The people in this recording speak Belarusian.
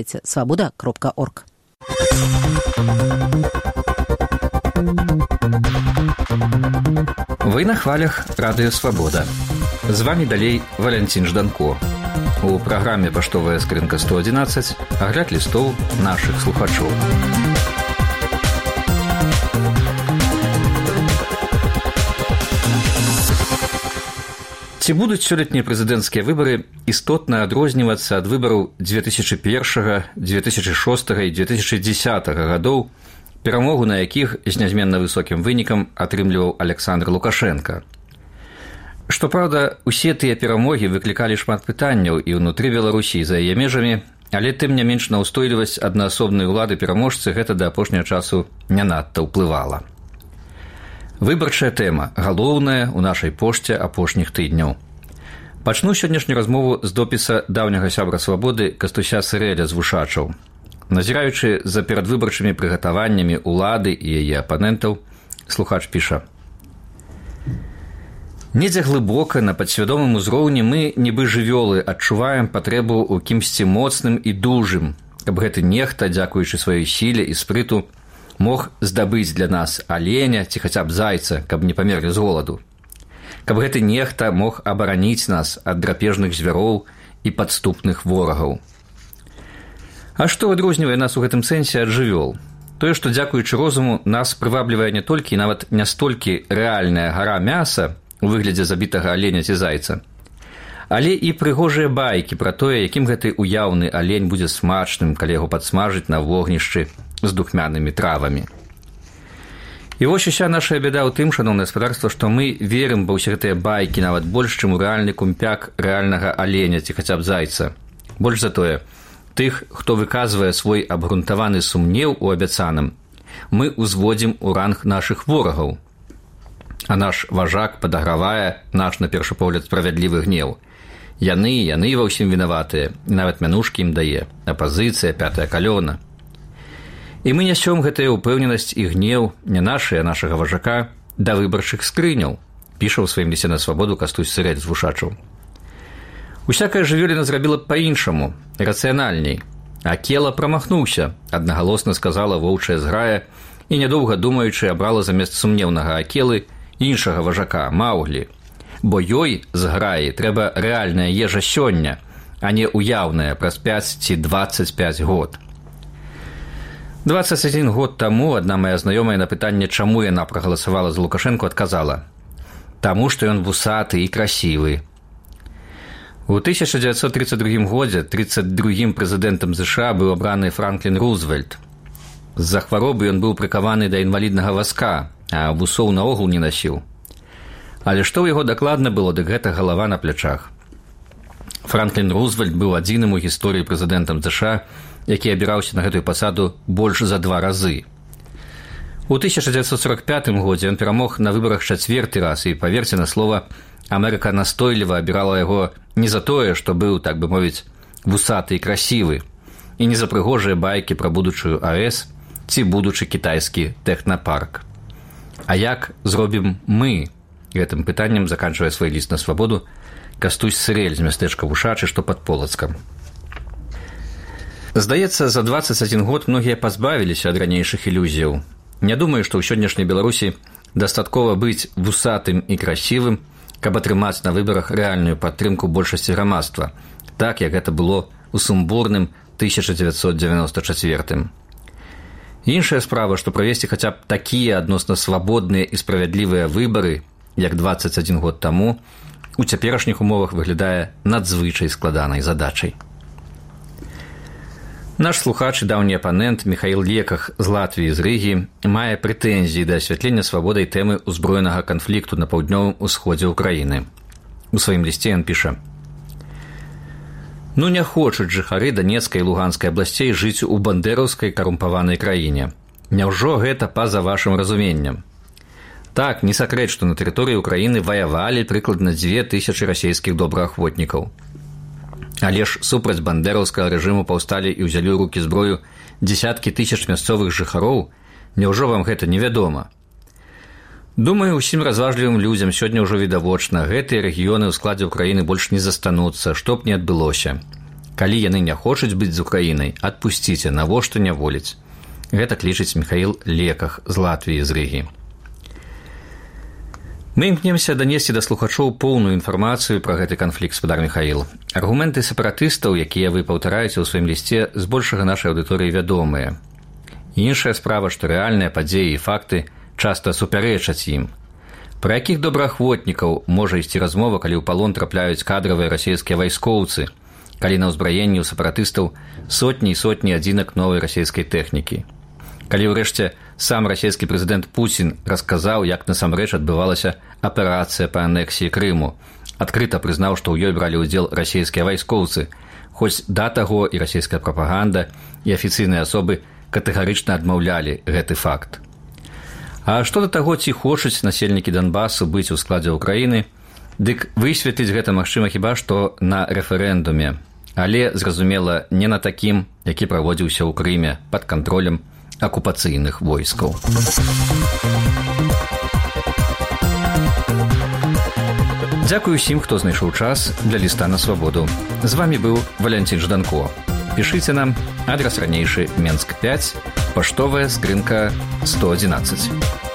Свобода.орг. Вы на хвалях Радыё Свабода. З вами далей Валянцін Жданко. У праграме «Паштовая скрынка 111» агляд лістоў нашых слухачоў. Ці будуць сёлетнія прэзідэнцкія выбары істотна адрознівацца ад выбараў 2001, 2006 і 2010 гадоў, перамогу на якіх з нязменна высокім вынікам атрымліваў Александр Лукашенко. Што праўда, усе тыя перамогі выклікалі шмат пытанняў і ўнутры Беларусі, і за яе межамі, але тым не менш на ўстойлівасць аднаасобнай улады пераможцы гэта да апошняга часу не надта ўплывала. Выбарчая тэма, галоўная ў нашай пошце апошніх тыдняў. Пачну сённяшнюю размову з допіса даўняга сябра свабоды Кастуся Сырэля з Вушачаў. Назіраючы за перадвыбарчымі прыгатаваннямі улады і яе апанентаў, слухач піша: «Недзе глыбока на падсвядомым узроўні мы, нібы жывёлы, адчуваем патрэбу ў кімсьці моцным і дужым, каб гэты нехта, дзякуючы сваёй сіле і спрыту, мог здабыць для нас аленя ці хаця б зайца, каб не памерлі з голаду. Каб гэты нехта мог абараніць нас ад драпежных звяроў і падступных ворагаў. А што адрознівае нас у гэтым сэнсе ад жывёл? Тое, што дзякуючы розуму нас прываблівае не толькі і нават не столькі рэальная гара мяса у выглядзе забітага аленя ці зайца, але і прыгожыя байкі пра тое, якім гэты уяўны алень будзе смачным, калі яго падсмажыць на вогнішчы з духмянымі травамі. І вось уся наша бяда ў тым, шаноўнае гаспадарства, што мы верым ва ўсе гэтыя байкі нават больш, чым у рэальны кумпяк рэальнага аленя ці хаця б зайца. Больш за тое, тых, хто выказвае свой абгрунтаваны сумнеў у абяцаным, мы ўзводзім у ранг нашых ворагаў. А наш важак падагравае наш, на першы погляд, справядлівы гнеў. Яны ва ўсім вінаватыя, нават мянушкі ім дае, апазіцыя, пятая калёна. І мы нясём гэтая ўпэўненасць і гнеў не нашы, а нашага важака да выбарчых скрыняў, піша ў сваім лісце на свабоду Кастусь Сырэль з Вушачаў. Усякая жывёліна зрабіла б па-іншаму, рацыянальней. Акела прамахнуўся, аднагалосна сказала воўчая зграя, і нядоўга думаючы абрала замест сумнеўнага акелы іншага важака, Маўглі. Бо ёй, зграі, трэба рэальная ежа сёння, а не уяўная праз 5 ці 25 год. 21 год таму адна моя знаёмая на пытанне, чаму яна прагаласавала за Лукашэнку, адказала: «Таму, што ён вусаты і красівы». У 1932 годзе 32-м прэзідэнтам США быў абраны Франклін Рузвельт. З-за хваробы ён быў прыкаваны да інваліднага вазка, а вусоў наогул не насіў. Але што ў яго дакладна было, дык гэта галава на плячах. Франклін Рузвельт быў адзіным у гісторыі прэзідэнтам США, які абіраўся на гэтую пасаду больш за 2 разы. У 1945 годзе ён перамог на выбарах 4-й раз, і, паверце на слова, Амерыка настойліва абірала яго не за тое, што быў, так бы мовіць, вусаты і красівы, і не за прыгожыя байкі пра будучую АЭС ці будучы кітайскі тэхнапарк. А як зробім мы? Гэтым пытаннем заканчвае свой ліст на свабоду Кастусь Сырэль з мястэчка Вушачы, што пад Полацкам. Здаецца, за 21 год многія пазбавіліся ад ранейшых ілюзіяў. Не думаю, што ў сённяшняй Беларусі дастаткова быць вусатым і красівым, каб атрымаць на выбарах рэальную падтрымку большасці грамадства, так, як гэта было ў сумбурным 1994. Іншая справа, што правесці хаця б такія адносна свабодныя і справядлівыя выбары, як 21 год таму, у цяперашніх умовах выглядае надзвычай складанай задачай. Наш слухач і даўні апанент Міхаіл Леках з Латвіі з Рыгі мае прэтэнзіі да асвятлення свабодай тэмы ўзброенага канфлікту на паўднёвым усходзе ўкраіны. У сваім лісце ён піша: «Ну не хочуць жыхары Данецкай і Луганскай абласцей жыць у бандэраўскай карумпаванай краіне. Няўжо гэта па-за вашым разуменнем? Так, не сакрэт, што на тэрыторыі ўкраіны ваявалі прыкладна 2000 расейскіх добраахвотнікаў. Але ж супраць бандэраўскага рэжыму паўсталі і ўзялі ў рукі зброю дзесяткі тысяч мясцовых жыхароў. Няўжо вам гэта невядома? Думаю, усім разважлівым людзям сёння ўжо відавочна, гэтыя рэгіёны ў складзе ўкраіны больш не застануцца, што б не адбылося. Калі яны не хочуць быць з Украінай, адпусціце, навошта няволіць. Гэта клічыць Михаил Леках з Латвіі, з Рыгі. Мы імкнемся данесці да слухачоў поўную інфармацыю пра гэты канфлікт, спадар Михаил. Аргументы сепаратыстаў, якія вы паўтараеце ў сваім лісце, збольшага нашай аўдыторыі вядомыя. Іншая справа, што рэальныя падзеі і факты часта супярэчаць ім. Пра якіх добраахвотнікаў можа ісці размова, калі ў палон трапляюць кадравыя расійскія вайскоўцы, калі на ўзбраенні ў сепаратыстаў сотні і сотні адзінак новай расійскай тэхнікі. Калі ўрэшце сам расійскі прэзідэнт Пуцін расказаў, як насамрэч адбывалася аперацыя па анексіі Крыму, адкрыта прызнаў, што ў ёй бралі ўдзел расійскія вайскоўцы, хоць да таго і расійская прапаганда, і афіцыйныя асобы катэгарычна адмаўлялі гэты факт. А што да таго, ці хочуць насельнікі Донбасу быць у складзе Украіны, дык высветліць гэта магчыма хіба што на рэферэндуме, але, зразумела, не на такім, які праводзіўся ў Крыме пад кантролем акупацыйных войскаў. Дзякую усім, хто знайшоў час для ліста на свабоду. З вамі быў Валянцін Жданко. Пішыце нам, адрас ранейшы Менск 5, паштовая скрынка 111.